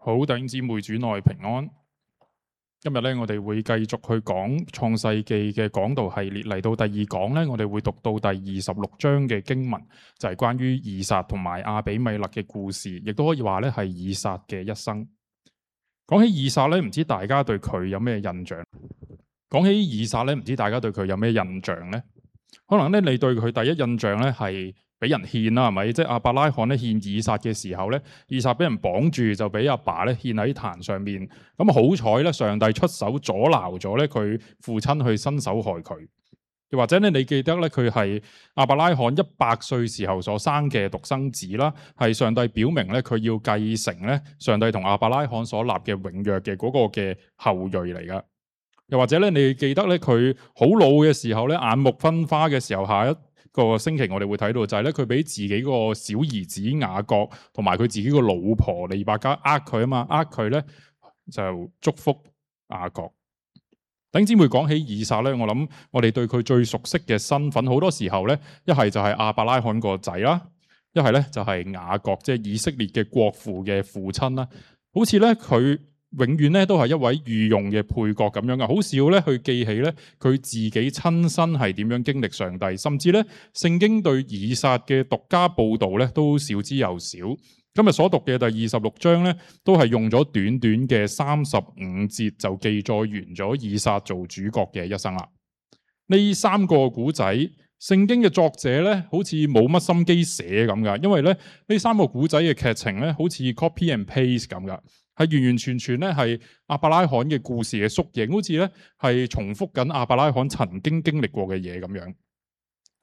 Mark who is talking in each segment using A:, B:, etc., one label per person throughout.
A: 好，弟兄姊妹主內平安。今日咧，我哋會繼續去講創世記嘅講道系列，嚟到第二講咧，我哋會讀到第26章嘅經文，就係關於以撒同埋亞比米勒嘅故事，亦都可以話咧係以撒嘅一生。講起以撒咧，唔知大家對佢有咩印象？講起以撒咧，唔知大家對佢有咩印象呢？可能咧，你對佢第一印象咧係俾人獻啦，係咪？即係亞伯拉罕咧獻以撒嘅時候咧，以撒俾人綁住，就俾阿爸咧獻喺壇上面。咁好彩咧，上帝出手阻撓咗咧佢父親去伸手害佢。又或者咧，你記得咧佢係亞伯拉罕100歲時候所生嘅獨生子啦，係上帝表明咧佢要繼承咧上帝同亞伯拉罕所立嘅永約嘅嗰個嘅後裔嚟噶。又或者咧，你記得咧佢好老嘅時候咧，眼目昏花嘅時候，下一個星期我哋會睇到就係咧，佢俾自己個小兒子雅各同埋佢自己個老婆利百加佢啊嘛，佢咧就祝福雅各。弟兄姊妹，講起以撒咧，我諗我哋對佢最熟悉嘅身份，好多時候咧，一係就係亞伯拉罕個仔啦，一係咧就係雅各，即係以色列嘅國父嘅父親啦。好似咧佢永遠咧都係一位御用嘅配角咁樣嘅，好少咧去記起咧佢自己親身係點樣經歷上帝，甚至咧聖經對以撒嘅獨家報道咧都少之又少。今日所讀嘅第26章咧，都係用咗短短嘅35節就記載完咗以撒做主角嘅一生啦。呢3個古仔，聖經嘅作者咧好似冇乜心機寫咁噶，因為咧呢3個古仔嘅劇情咧好似 copy and paste 咁噶。係完完全全咧係亞伯拉罕嘅故事嘅縮影，好似咧係重複緊亞伯拉罕曾經經歷過嘅嘢咁樣。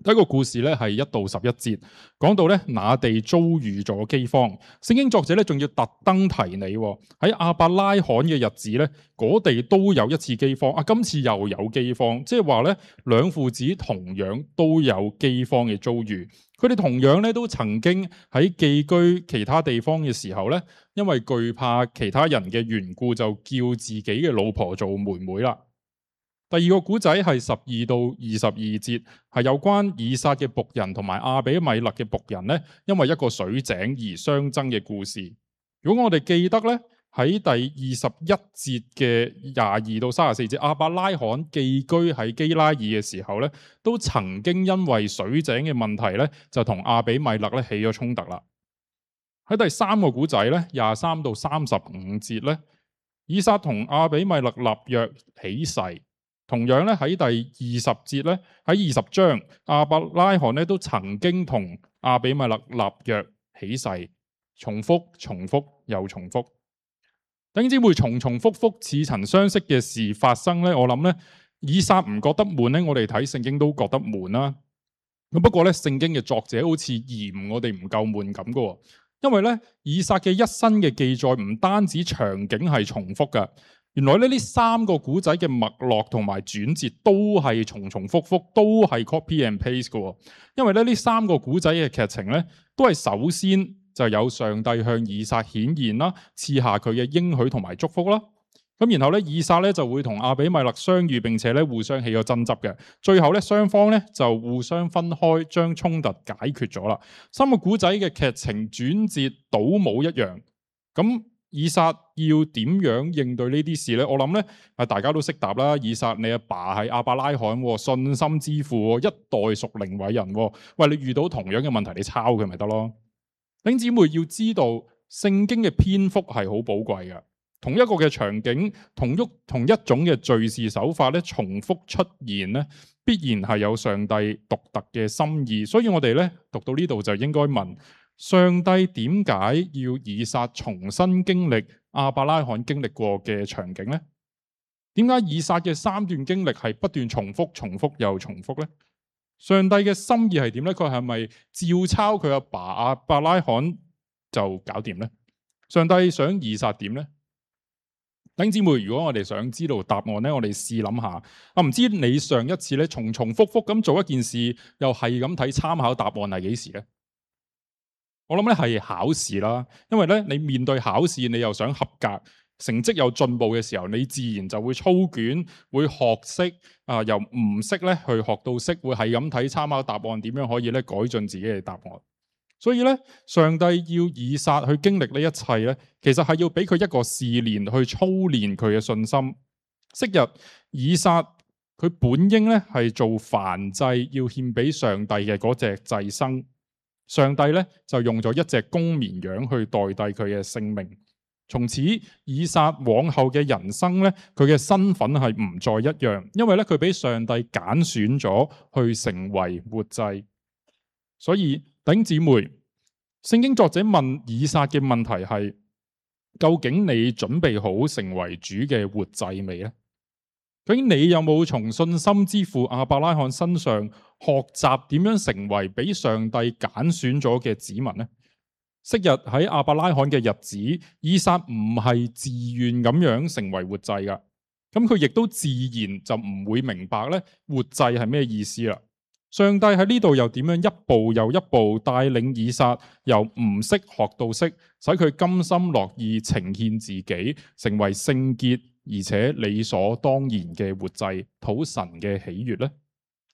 A: 第一個故事咧係1到11節，講到咧那地遭遇咗饑荒，聖經作者咧仲要特登提你喺亞伯拉罕嘅日子咧，嗰地都有一次饑荒，今次又有饑荒，即係話咧兩父子同樣都有饑荒嘅遭遇。佢哋同樣咧都曾經喺寄居其他地方嘅時候咧，因為懼怕其他人嘅緣故，就叫自己嘅老婆做妹妹啦。第二個古仔係12到22節，係有關以撒嘅僕人同埋亞比米勒嘅僕人咧，因為一個水井而相爭嘅故事。如果我哋記得咧，喺第21節嘅22到34節，亞伯拉罕寄居喺基拉耳嘅時候咧，都曾經因為水井嘅問題咧，就同亞比米勒咧起咗衝突啦。喺第3個古仔咧，23到35節咧，以撒同亞比米勒立約起誓。同樣咧喺第20節咧，喺20章亞伯拉罕咧都曾經同亞比米勒立約起誓，重複又重複。弟兄姊妹，重複似曾相識嘅事發生咧，我諗咧以撒唔覺得悶咧，我哋睇聖經都覺得悶啦。咁不過咧，聖經嘅作者好似嫌我哋唔夠悶咁噶，因為咧以撒嘅一生嘅記載唔單止場景係重複噶。原來呢3個古仔嘅脈絡同埋轉折都係重複，都係 copy and paste 嘅。因為呢3個古仔嘅劇情咧，都係首先就有上帝向以撒顯現啦，賜下佢嘅應許同埋祝福啦。咁然後咧，以撒咧就會同亞比米勒相遇，並且咧互相起咗爭執嘅。最後咧，雙方咧就互相分開，將衝突解決咗啦。3個古仔嘅劇情轉折倒冇一樣。咁以撒要點樣應對呢啲事呢？我諗咧，大家都識答啦。以撒，你阿爸係亞伯拉罕，信心之父，一代屬靈偉人。喂，你遇到同樣嘅問題，你抄佢咪得咯？弟兄姊妹要知道，聖經嘅篇幅係好寶貴嘅。同一個嘅場景，同一種嘅敘事手法咧，重複出現咧，必然係有上帝獨特嘅心意。所以我哋咧讀到呢度就應該問：上帝點解要以撒重新經歷亞伯拉罕經歷過嘅場景呢？點解以撒嘅3段經歷係不斷重複又重複呢？上帝嘅心意係點呢？佢係咪照抄佢阿爸亞伯拉罕就搞掂呢？上帝想以撒點呢？弟兄姊妹，如果我哋想知道答案呢，我哋試諗下。唔知你上一次咧重複咁做一件事，又係咁睇參考答案係幾時呢？我諗咧係考試啦，因為咧你面對考試，你又想合格，成績有進步嘅時候，你自然就會操卷，會學識由唔識咧去學到識，會係咁睇參考答案，點樣可以咧改進自己嘅答案。所以咧，上帝要以撒去經歷呢一切咧，其實係要俾佢一個試煉，去操練佢嘅信心。昔日以撒佢本應咧係做燔祭要獻俾上帝嘅嗰隻祭牲，上帝咧就用咗一隻公綿羊去代替佢嘅性命。從此以撒往後嘅人生咧，佢嘅身份係唔再一樣，因為咧佢俾上帝揀選咗去成為活祭。所以弟兄姊妹，聖經作者問以撒嘅問題係：究竟你準備好成為主嘅活祭未呢？究竟你有冇從信心之父亞伯拉罕身上學習點樣成為俾上帝揀選咗嘅子民呢？昔日喺亞伯拉罕嘅日子，以撒唔係自願咁樣成為活祭噶，咁佢亦都自然就唔會明白咧活祭係咩意思啦。上帝喺呢度又點樣一步又一步帶領以撒由唔識學到識，使佢甘心樂意呈獻自己，成為聖潔而且理所當然嘅活祭，討神嘅喜悅呢？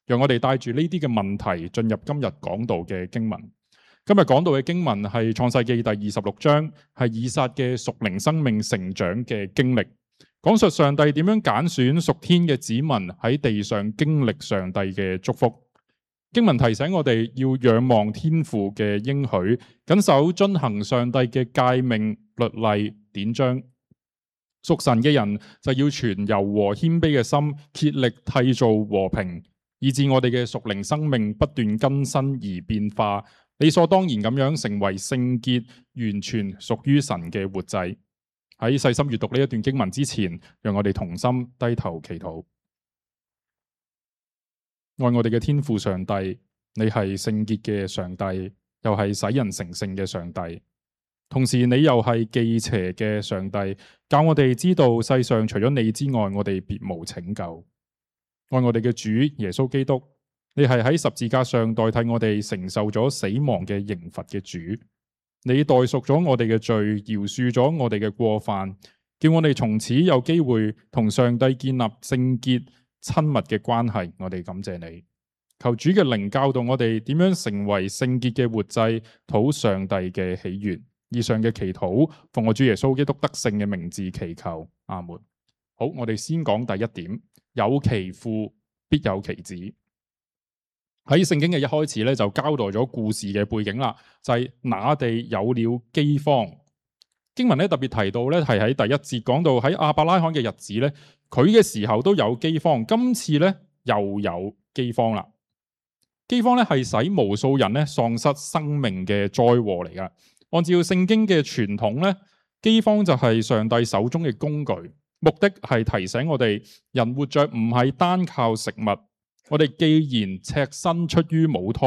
A: 讓我哋帶住呢啲嘅問題進入今日講道嘅經文。今日講到嘅經文係創世記第26章，係以撒嘅屬靈生命成長嘅經歷，講述上帝點樣揀選屬天嘅子民喺地上經歷上帝嘅祝福。經文提醒我哋要仰望天父嘅應許，謹守遵行上帝嘅誡命、律例、典章。屬神嘅人就要存柔和謙卑嘅心，竭力締造和平，以致我哋嘅屬靈生命不斷更新而變化，理所當然咁樣成為聖潔、完全屬於神嘅活祭。喺細心閱讀呢一段經文之前，讓我哋同心低頭祈禱。愛我哋嘅天父上帝，你係聖潔嘅上帝，又係使人成聖嘅上帝，同時你又係忌邪嘅上帝，教我哋知道世上除咗你之外，我哋別無拯救。愛我哋嘅主耶穌基督，你係喺十字架上代替我哋承受咗死亡嘅刑罰嘅主，你代贖咗我哋嘅罪，饒恕咗我哋嘅過犯，叫我哋從此有機會同上帝建立聖潔親密嘅關係。我哋感謝你，求主嘅靈教導我哋點樣成為聖潔嘅活祭，討上帝嘅喜悅。以上嘅祈禱奉我主耶穌基督得勝嘅名字祈求，阿門。好，我哋先講第一點，有其父必有其子。喺聖經嘅一開始咧，就交代咗故事嘅背景啦，就係那地有了饑荒。經文咧特別提到咧，係喺第一節講到喺亞伯拉罕嘅日子咧，佢嘅時候都有饑荒，今次咧又有饑荒啦。饑荒咧係使無數人咧喪失生命嘅災禍嚟噶。按照聖經嘅傳統咧，饑荒就係上帝手中嘅工具，目的係提醒我哋人活着唔係單靠食物。我哋既然赤身出於母胎，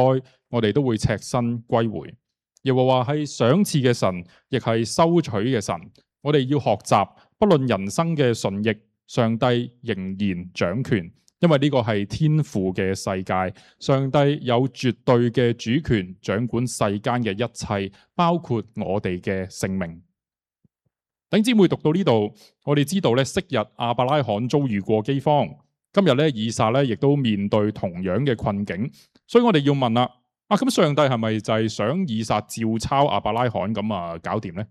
A: 我哋都會赤身歸回。耶和華係賞賜嘅神，亦係收取嘅神。我哋要學習，不論人生嘅順逆，上帝仍然掌權，因為呢個係天父嘅世界。上帝有絕對嘅主權，掌管世間嘅一切，包括我哋嘅性命。弟兄姊妹讀到呢度，我哋知道咧，昔日亞伯拉罕遭遇過饑荒。今日咧，以撒咧亦都面對同樣嘅困境，所以我哋要問啦，咁上帝係咪就係想以撒照抄亞伯拉罕咁搞掂呢？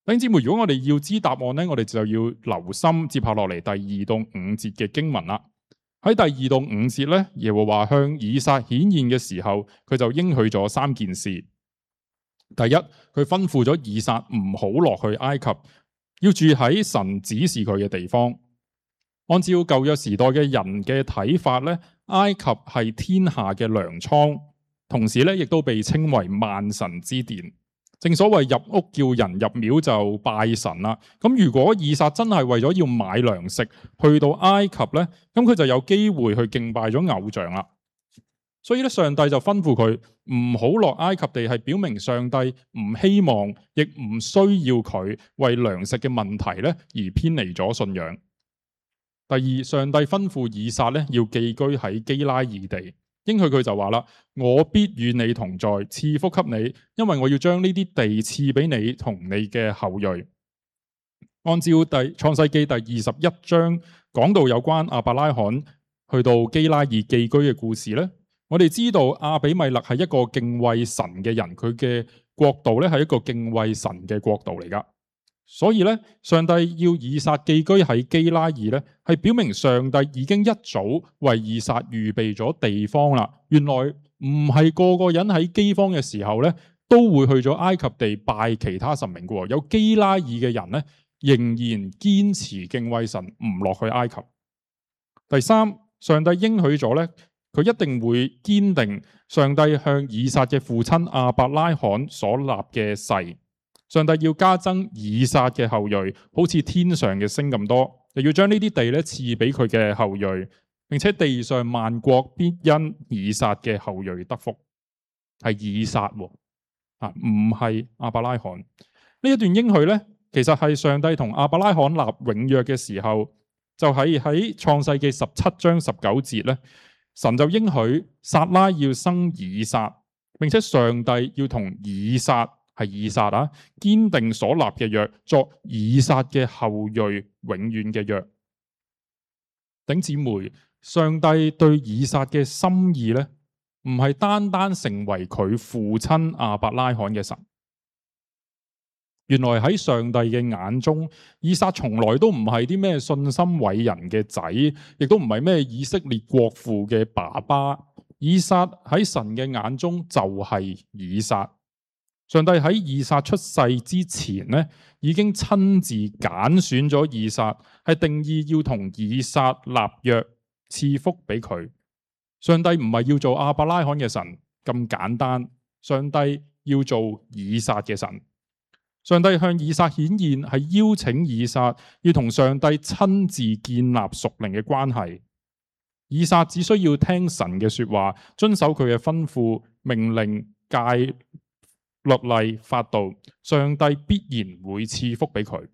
A: 弟兄姊妹，如果我哋要知答案咧，我哋就要留心接下落嚟第2到5節嘅經文啦。喺第2到5節咧，耶和華向以撒顯現嘅時候，佢就應許咗3件事。第一，佢吩咐咗以撒唔好落去埃及，要住喺神指示佢嘅地方。按照舊約時代嘅人嘅睇法咧，埃及係天下嘅糧倉，同時咧亦都被稱為萬神之殿。正所謂入屋叫人入廟就拜神啦。咁如果以撒真係為咗要買糧食去到埃及咧，咁佢就有機會去敬拜咗偶像啦。所以咧，上帝就吩咐佢唔好落埃及地，係表明上帝唔希望，亦唔需要佢為糧食嘅問題咧而偏離咗信仰。第二，上帝吩咐以撒咧要寄居喺基拉耳地，應許佢就話啦：我必與你同在，賜福給你，因為我要將呢啲地賜俾你同你嘅後裔。按照創世記第21章講到有關亞伯拉罕去到基拉耳寄居嘅故事咧，我哋知道亞比米勒係一個敬畏神嘅人，佢嘅國度咧係一個敬畏神嘅國度嚟噶。所以咧，上帝要以撒寄居喺基拉耳咧，係表明上帝已經一早為以撒預備咗地方啦。原來唔係個個人喺饑荒嘅時候咧，都會去咗埃及地拜其他神明嘅。有基拉耳嘅人咧，仍然堅持敬畏神，唔落去埃及。第三，上帝應許咗咧，佢一定會堅定上帝向以撒嘅父親亞伯拉罕所立嘅誓。上帝要加增以撒嘅後裔，好似天上嘅星咁多，又要將呢啲地咧賜俾佢嘅後裔，並且地上萬國必因以撒嘅後裔得福。係以撒喎，唔係亞伯拉罕。呢一段應許咧，其實係上帝同亞伯拉罕立永約嘅時候，就係喺創世記17章19節咧，神就應許撒拉要生以撒，並且上帝要同以撒。係以撒啊，堅定所立嘅約，作以撒嘅後裔永遠嘅約。弟兄姊妹，上帝對以撒嘅心意咧，唔係單單成為佢父親亞伯拉罕嘅神。原來喺上帝嘅眼中，以撒從來都唔係啲咩信心偉人嘅仔，亦都唔係咩以色列國父嘅爸爸。以撒喺神嘅眼中就係以撒。上帝喺以撒出世之前咧，已經親自揀選咗以撒，係定義要同以撒立約，賜福俾佢。上帝唔係要做亞伯拉罕嘅神咁簡單，上帝要做以撒嘅神。上帝向以撒顯現，係邀請以撒要同上帝親自建立屬靈嘅關係。以撒只需要聽神嘅說話，遵守佢嘅吩咐、命令、誡律例法度，上帝必然會賜福俾佢。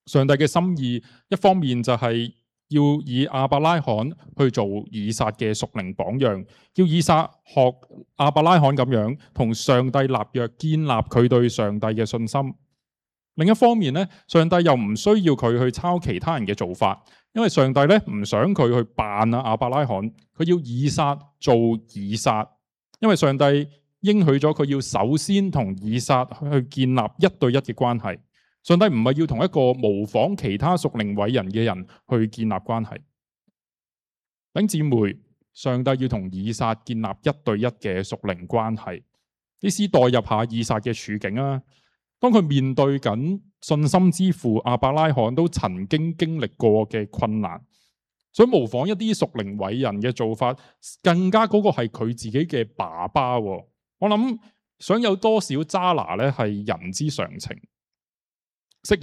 A: 上帝嘅心意一方面就係要以亞伯拉罕去做以撒嘅屬靈榜樣，叫以撒學亞伯拉罕咁樣同上帝立約，建立佢對上帝嘅信心。另一方面咧，上帝又唔需要佢去抄其他人嘅做法，因為上帝咧唔想佢去扮亞伯拉罕，佢要以撒做以撒，因為上帝應許咗佢要首先同以撒去建立一對一嘅關係。上帝唔係要同一個模仿其他屬靈偉人嘅人去建立關係。弟兄姊妹，上帝要同以撒建立一對一嘅屬靈關係。你試代入下以撒嘅處境啊，當佢面對緊信心之父亞伯拉罕都曾經經歷過嘅困難，想模仿一啲屬靈偉人嘅做法，更加嗰個係佢自己嘅爸爸。我諗想有多少渣拿咧，係人之常情。昔日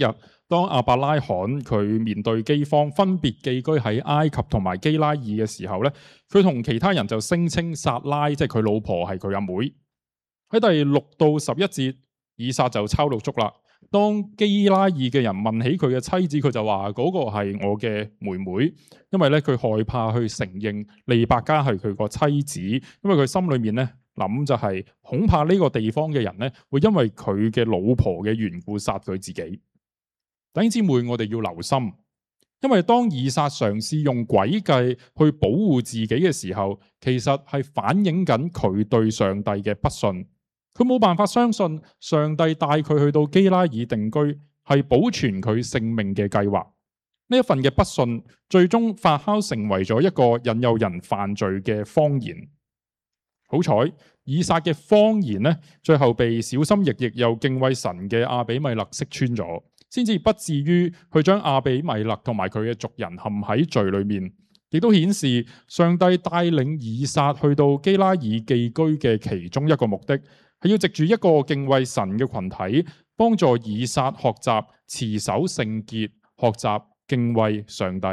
A: 當亞伯拉罕佢面對饑荒，分別寄居喺埃及同埋基拉耳嘅時候咧，佢同其他人就聲稱撒拉即係佢老婆係佢阿妹。喺第6到11節，以撒就抄到足啦。當基拉耳嘅人問起佢嘅妻子，佢就話嗰個係我嘅妹妹，因為咧佢害怕去承認利百加係佢個妻子，因為佢心裏面咧諗就係恐怕呢個地方嘅人咧會因為佢嘅老婆嘅緣故殺佢自己。弟兄姊妹，我哋要留心，因為當以撒嘗試用詭計去保護自己嘅時候，其實係反映緊佢對上帝嘅不信。佢冇辦法相信上帝帶佢去到基拉耳定居係保存佢性命嘅計劃。呢一份嘅不信，最終發酵成為咗一個引誘人犯罪嘅謊言。好彩，以撒嘅謊言呢，最後被小心翼翼又敬畏神嘅亞比米勒識穿咗，先至不至於去將亞比米勒同埋佢嘅族人陷喺罪裏面。亦都顯示上帝帶領以撒去到基拉耳寄居嘅其中一個目的，係要藉住一個敬畏神嘅群體，幫助以撒學習持守聖潔，學習敬畏上帝。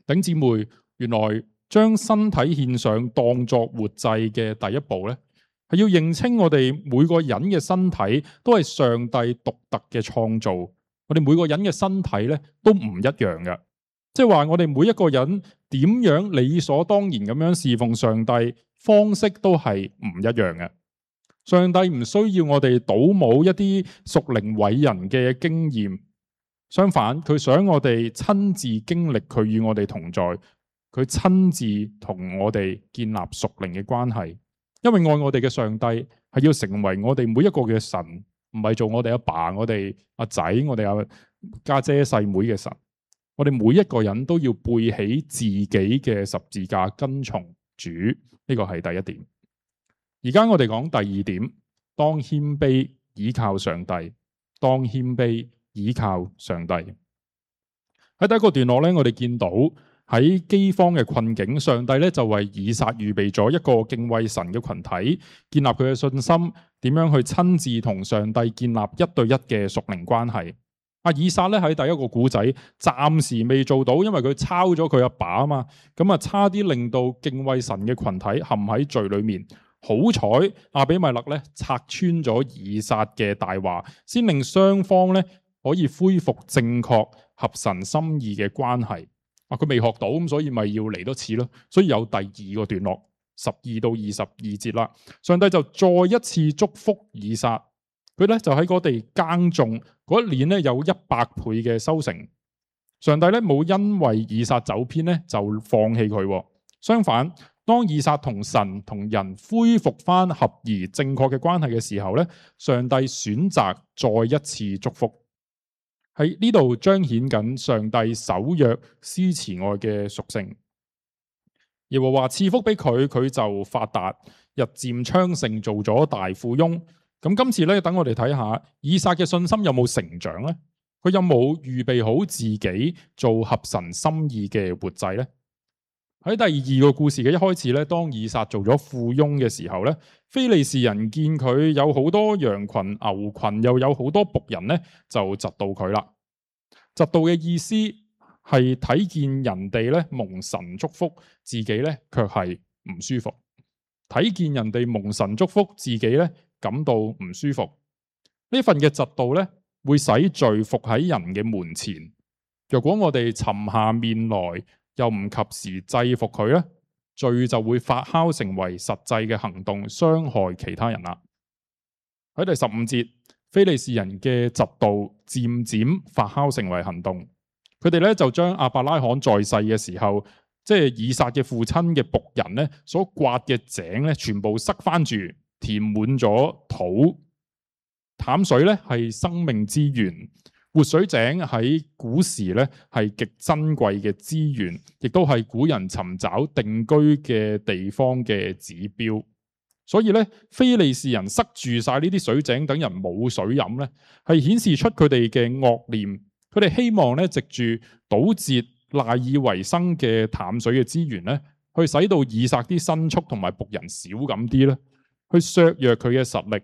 A: 弟兄姊妹，原來將身體獻上當作活祭嘅第一步咧，係要認清我哋每個人嘅身體都係上帝獨特嘅創造。我哋每個人嘅身體咧都唔一樣嘅，即係話我哋每一個人點樣理所當然咁樣侍奉上帝，方式都係唔一樣嘅。上帝唔需要我哋倒模一啲屬靈偉人嘅經驗，相反佢想我哋親自經歷佢與我哋同在。佢親自同我哋建立屬靈嘅關係，因為愛我哋嘅上帝係要成為我哋每一個嘅神，唔係做我哋阿爸、我哋阿仔、我哋阿家姐、細妹嘅神。我哋每一個人都要背起自己嘅十字架跟從主，呢個係第一點。而家我哋講第二點，當謙卑倚靠上帝，當謙卑倚靠上帝。喺第一個段落咧，我哋見到喺饑荒嘅困境，上帝咧就為以撒預備咗一個敬畏神嘅群體，建立佢嘅信心，點樣去親自同上帝建立一對一嘅屬靈關係。以撒咧喺第一個古仔暫時未做到，因為佢抄咗佢阿爸啊嘛，咁差啲令到敬畏神嘅群體陷喺罪裏面。好彩亞比米勒咧拆穿咗以撒嘅大話，先令雙方咧可以恢復正確合神心意嘅關係。佢未學到，咁所以咪要嚟多次咯。所以有第二個段落12到22節啦。上帝就再一次祝福以撒，佢咧就喺嗰地耕種，嗰一年咧有100倍嘅收成。上帝咧冇因為以撒走偏咧就放棄佢，相反，當以撒同神同人恢復翻合宜正確嘅關係嘅時候咧，上帝選擇再一次祝福。喺呢度彰顯緊上帝守約施慈愛嘅屬性。耶和華賜福俾佢，佢就發達，日漸昌盛，做咗大富翁。咁今次咧，等我哋睇下以撒嘅信心有冇成長呢？佢有冇預備好自己做合神心意嘅活祭呢？喺第二個故事嘅一開始咧，當以撒做咗富翁嘅時候咧，非利士人見佢有好多羊群、牛群，又有好多僕人咧，就嫉妒佢啦。嫉妒嘅意思係睇見人哋咧蒙神祝福，自己咧卻係唔舒服；睇見人哋蒙神祝福，自己咧感到唔舒服。呢份嘅嫉妒咧，會使罪伏喺人嘅門前。若果我哋沉下面來，又唔及時制服佢咧，罪就會發酵成為實際嘅行動，傷害其他人啦。喺第15節，非利士人嘅嫉妒漸漸發酵成為行動，佢哋咧就將亞伯拉罕在世嘅時候，即係以撒嘅父親嘅僕人咧所刮嘅井咧，全部塞翻住，填滿咗土。淡水咧係生命之源。活水井喺古時咧係極珍貴嘅資源，亦都係古人尋找定居嘅地方嘅指標。所以咧，非利士人塞住晒呢啲水井，等人冇水飲咧，係顯示出佢哋嘅惡念。佢哋希望咧藉住堵截賴以為生嘅淡水嘅資源咧，去使到以撒啲牲畜同埋僕人少咁啲咧，去削弱佢嘅實力。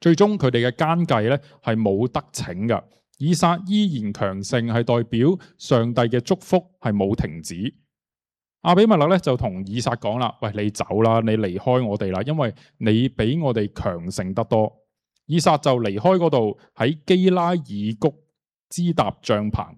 A: 最終佢哋嘅奸計咧係冇得逞噶，以撒依然強盛，係代表上帝嘅祝福係冇停止。亞比米勒咧就同以撒講啦：喂，你走啦，你離開我哋啦，因為你比我哋強盛得多。以撒就離開嗰度，喺基拉耳谷支搭帳篷。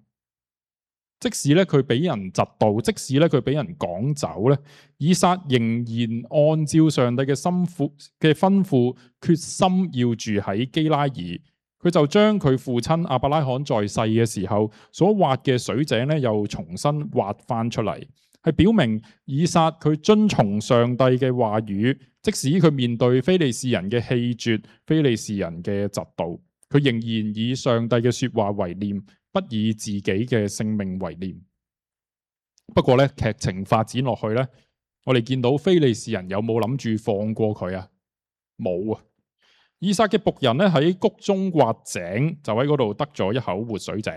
A: 即使咧佢俾人嫉妒，即使咧佢俾人趕走咧，以撒仍然按照上帝嘅吩咐，決心要住喺基拉耳。佢就將佢父親亞伯拉罕在世嘅時候所挖嘅水井咧，又重新挖翻出嚟，係表明以撒佢遵從上帝嘅話語，即使佢面對非利士人嘅棄絕、非利士人嘅嫉妒，佢仍然以上帝嘅說話為念，不以自己嘅性命為念。不過咧，劇情發展落去咧，我哋見到非利士人有冇諗住放過佢啊？冇啊！以撒嘅僕人咧喺谷中挖井，就喺嗰度得咗一口活水井。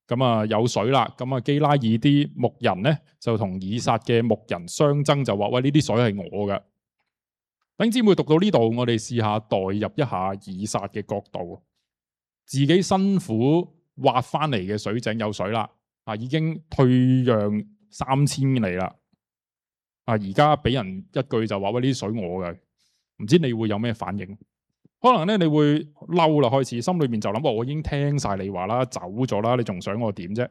A: 咁有水啦，咁基拉耳啲牧人咧就同以撒嘅牧人相爭，就話：喂，呢啲水係我嘅。弟兄姊妹讀到呢度，我哋試下代入一下以撒嘅角度，自己辛苦挖翻嚟嘅水井有水啦，已經退讓3000里啦，而家俾人一句就話：喂，呢啲水我嘅，唔知你會有咩反應？可能咧你會嬲啦，開始心裏面就諗：我已經聽晒你話啦，走咗啦，你仲想我點啫？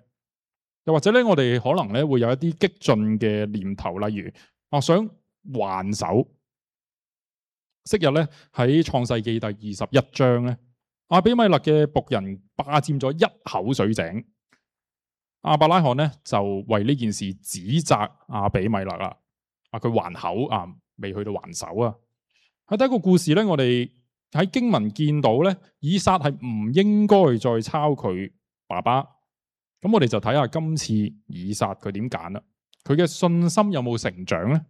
A: 又或者咧，我哋可能咧會有一啲激進嘅念頭，例如想還手。昔日咧喺創世記第21章咧，亞比米勒嘅僕人霸佔咗一口水井。亞伯拉罕咧就為呢件事指責亞比米勒啦，佢還口未去到還手啊。喺第一個故事咧，我哋喺經文見到咧，以撒係唔應該再抄佢爸爸。咁我哋就睇下今次以撒佢點揀啦，佢嘅信心有冇成長咧？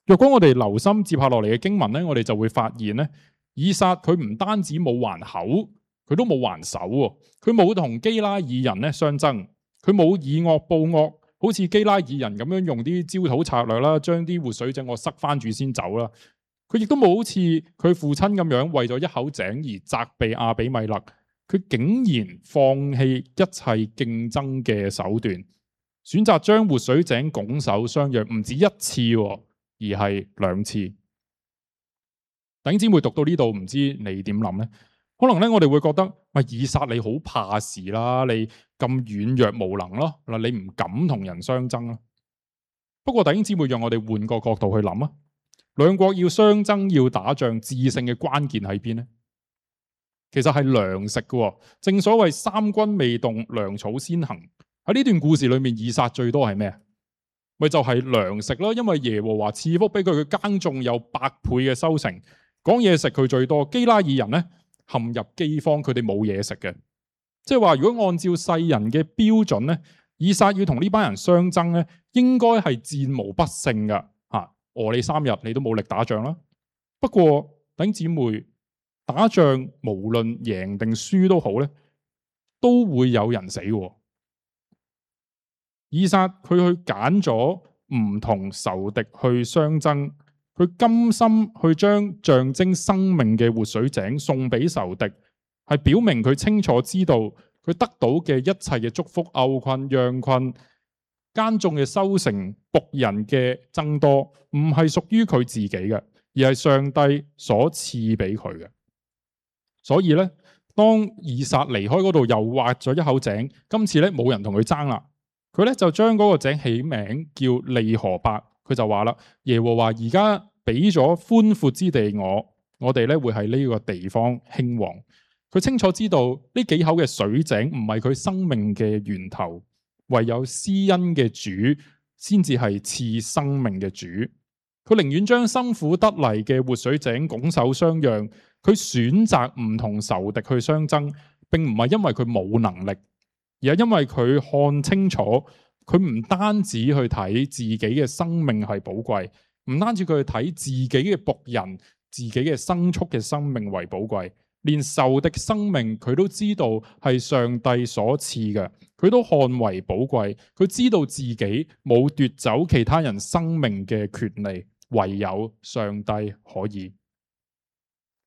A: 若果我哋留心接下落嚟嘅經文咧，我哋就會發現咧，以撒佢唔單止冇還口，佢都冇還手喎。佢冇同基拉耳人咧相爭，佢冇以惡報惡，好似基拉耳人咁樣用啲焦土策略啦，將啲活水井我塞翻住先走啦。佢亦都冇好似佢父親咁樣為咗一口井而責備亞比米勒，佢竟然放棄一切競爭嘅手段，選擇將活水井拱手相讓，唔止一次，而係2次。弟兄姊妹讀到呢度，唔知你點諗呢？可能咧，我哋會覺得，以撒你好怕事啦，你咁軟弱無能咯，你唔敢同人相爭啦。不過弟兄姊妹，讓我哋換個角度去諗啊，兩國要相爭要打仗，致勝嘅關鍵喺邊呢？其實係糧食嘅，正所謂三軍未動，糧草先行。喺呢段故事裏面，以撒最多係咩？咪就係糧食咯，因為耶和華賜福俾佢，佢耕種有100倍嘅收成。講嘢食佢最多，基拉耳人咧陷入饑荒，佢哋冇嘢食嘅。即係話，如果按照世人嘅標準咧，以撒要同呢班人相爭咧，應該係戰無不勝噶吓，餓你3日你都冇力打仗啦。不過弟兄姊妹，打仗無論贏定輸都好咧，都會有人死嘅。以撒佢去揀咗唔同仇敵去相爭，佢甘心去將象徵生命嘅活水井送俾仇敵，係表明佢清楚知道佢得到嘅一切嘅祝福、牛群、羊群、耕種嘅收成、僕人嘅增多，唔係屬於佢自己嘅，而係上帝所賜俾佢嘅。所以咧，當以撒離開嗰度，又挖咗一口井，今次咧冇人同佢爭啦。佢咧就將嗰個井起名叫利河伯，佢就話啦：耶和華而家俾咗寬闊之地我哋咧會喺呢個地方興旺。佢清楚知道呢幾口嘅水井唔係佢生命嘅源頭，唯有施恩嘅主先至係賜生命嘅主。佢寧願將辛苦得嚟嘅活水井拱手相讓，佢選擇唔同仇敵去相爭，並唔係因為佢冇能力。而係因為佢看清楚，佢唔單止去睇自己嘅生命係寶貴，唔單止佢去睇自己嘅僕人、自己嘅牲畜嘅生命為寶貴，連仇敵生命佢都知道係上帝所賜嘅，佢都看為寶貴。佢知道自己冇奪走其他人生命嘅權利，唯有上帝可以。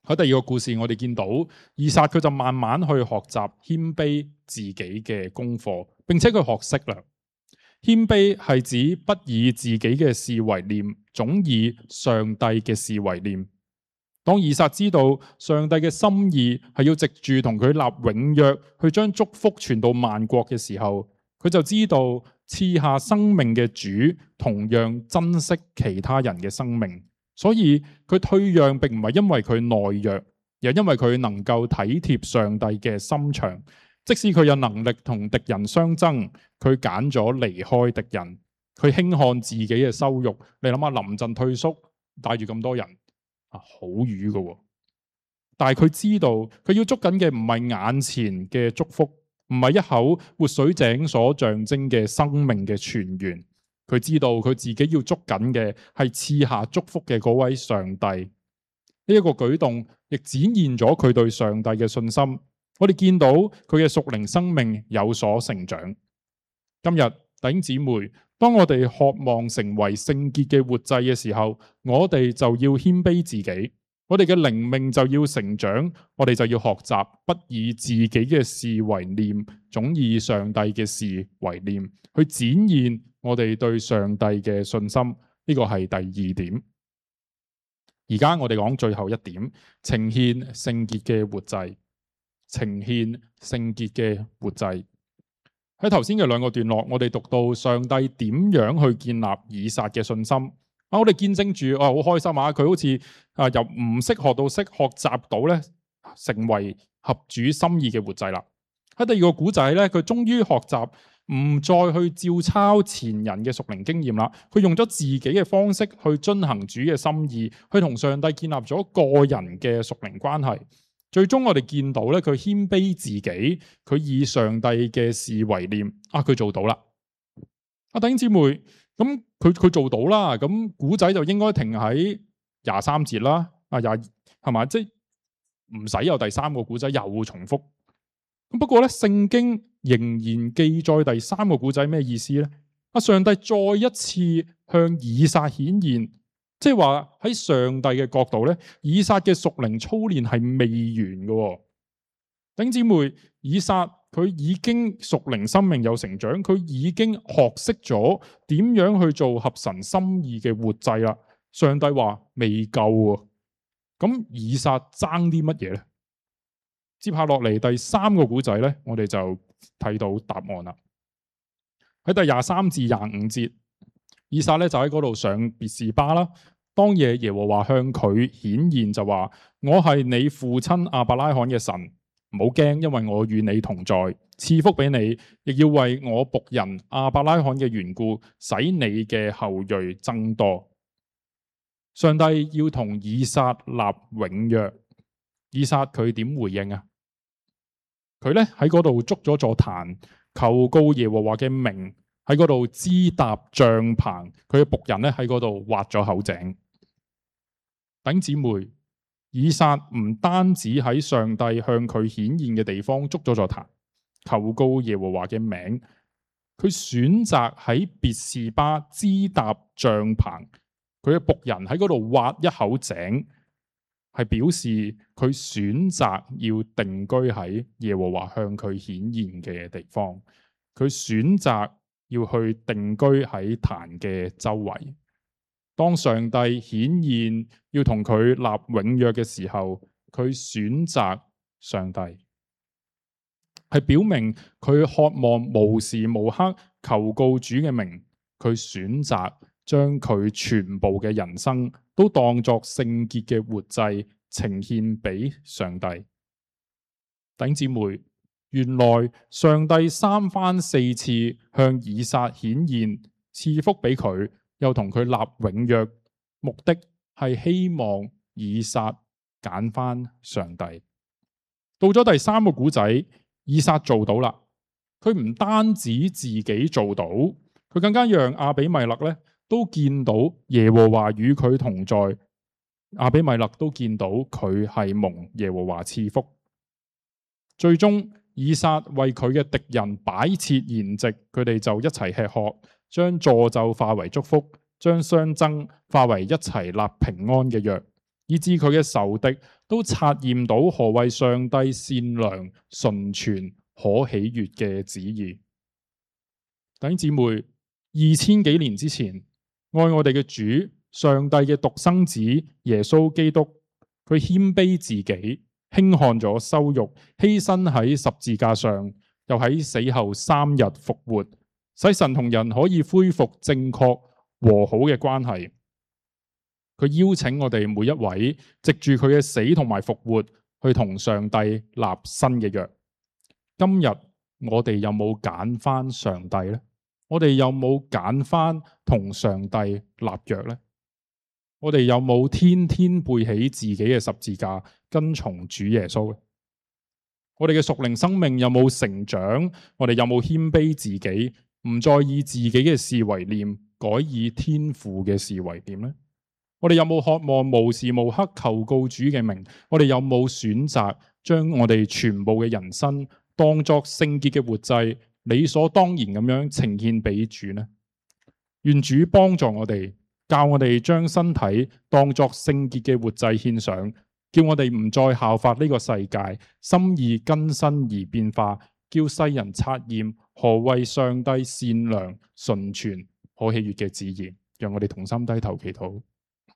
A: 喺第二個故事，我哋見到以撒佢就慢慢去學習謙卑自己嘅功課，並且佢學識啦。謙卑係指不以自己嘅事為念，總以上帝嘅事為念。當以撒知道上帝嘅心意係要藉住同佢立永約，去將祝福傳到萬國嘅時候，佢就知道賜下生命嘅主同樣珍惜其他人嘅生命。所以佢退讓並唔係因為佢懦弱，而係因為佢能夠體貼上帝嘅心腸。即使佢有能力同敵人相爭，佢揀咗離開敵人，佢輕看自己嘅羞辱。你諗下，臨陣退縮，帶住咁多人，好瘀㗎。但係佢知道，佢要捉緊嘅唔係眼前嘅祝福，唔係一口活水井所象徵嘅生命嘅泉源。佢知道佢自己要捉緊嘅係賜下祝福嘅嗰位上帝。呢一個舉動亦展現咗佢對上帝嘅信心。我哋見到佢嘅屬靈生命有所成長。今日弟兄姊妹，當我哋渴望成為聖潔嘅活祭嘅時候，我哋就要謙卑自己，我哋嘅靈命就要成長，我哋就要學習不以自己嘅事為念，總以上帝嘅事為念，去展現我哋對上帝嘅信心。呢個係第2點。而家我哋講最後一點，呈獻聖潔嘅活祭。呈獻聖潔嘅活祭。喺頭先嘅2個段落，我哋讀到上帝點樣去建立以撒嘅信心。我哋見證住，好開心啊！佢好似由唔識學到識，學習到咧，成為合主心意嘅活祭啦。喺第2個古仔咧，佢終於學習唔再去照抄前人嘅屬靈經驗啦，佢用咗自己嘅方式去遵行主嘅心意，去同上帝建立咗個人嘅屬靈關係。最終我哋見到咧，佢謙卑自己，佢以上帝嘅事為念，佢做到啦。弟兄姊妹，咁佢做到啦，咁古仔就應該停喺23節啦，係嘛？即係唔使有第三個古仔又重複。不過咧，聖經仍然記載第三個古仔咩意思呢？上帝再一次向以撒顯現，即係話喺上帝嘅角度咧，以撒嘅屬靈操練係未完嘅。弟兄姊妹，以撒佢已經屬靈生命有成長，佢已經學識咗點樣去做合神心意嘅活祭啦。上帝話未夠啊，咁以撒爭啲乜嘢呢？接下落嚟第三個古仔咧，我哋就睇到答案啦。喺第23至25節，以撒咧就喺嗰度上別是巴啦。當夜耶和華向佢顯現，就話：我係你父親亞伯拉罕嘅神，唔好驚，因為我與你同在，賜福俾你，亦要為我僕人亞伯拉罕嘅緣故，使你嘅後裔增多。上帝要同以撒立永約，以撒佢點回應啊？佢咧喺嗰度築咗座壇，求告耶和華嘅名，喺嗰度支搭帳棚。佢嘅僕人咧喺嗰度挖咗口井。弟兄姊妹，以撒唔單止喺上帝向佢顯現嘅地方築咗座壇，求告耶和華嘅名，佢選擇喺別是巴支搭帳棚。佢嘅僕人喺嗰度挖一口井，係表示佢選擇要定居喺耶和華向佢顯現嘅地方，佢選擇要去定居喺壇嘅周圍。當上帝顯現要同佢立永約嘅時候，佢選擇上帝，係表明佢渴望無時無刻求告主嘅名。佢選擇將佢全部嘅人生都當作聖潔嘅活祭呈獻俾上帝。弟兄姊妹，原來上帝三番四次向以撒顯現，賜福俾佢，又同佢立永約，目的係希望以撒揀翻上帝。到咗第三個古仔，以撒做到啦。佢唔單止自己做到，佢更加讓亞比米勒咧都見到耶和華與佢同在。亞比米勒都見到佢係蒙耶和華賜福。最終以撒為佢嘅敵人擺設筵席，佢哋就一齊吃喝，將詛咒化為祝福，將相爭化為一齊立平安嘅約，以致佢嘅仇敵都察驗到何謂上帝善良、純全、可喜悅嘅旨意。弟兄姊妹，2000幾年之前，愛我哋嘅主，上帝嘅獨生子耶穌基督，佢謙卑自己，輕看咗羞辱，犧牲喺十字架上，又喺死後3日復活，使神同人可以恢復正確和好嘅關係。佢邀請我哋每一位藉住佢嘅死同埋復活，去同上帝立新嘅約。今日我哋有冇揀翻上帝呢？我哋有冇揀翻同上帝立約呢？我哋有冇天天背起自己嘅十字架，跟從主耶穌呢？我哋嘅屬靈生命有冇成長？我哋有冇謙卑自己，唔再以自己嘅事為念，改以天父嘅事為念呢？我哋有冇渴望無時無刻求告主嘅名？我哋有冇選擇將我哋全部嘅人生當作聖潔嘅活祭，理所當然咁樣呈獻俾主呢？願主幫助我哋，教我哋將身體當作聖潔嘅活祭獻上，叫我哋唔再效法呢個世界，心意更新而變化，叫世人察驗何謂上帝善良、純全、可喜悅嘅旨意。讓我哋同心低頭祈禱。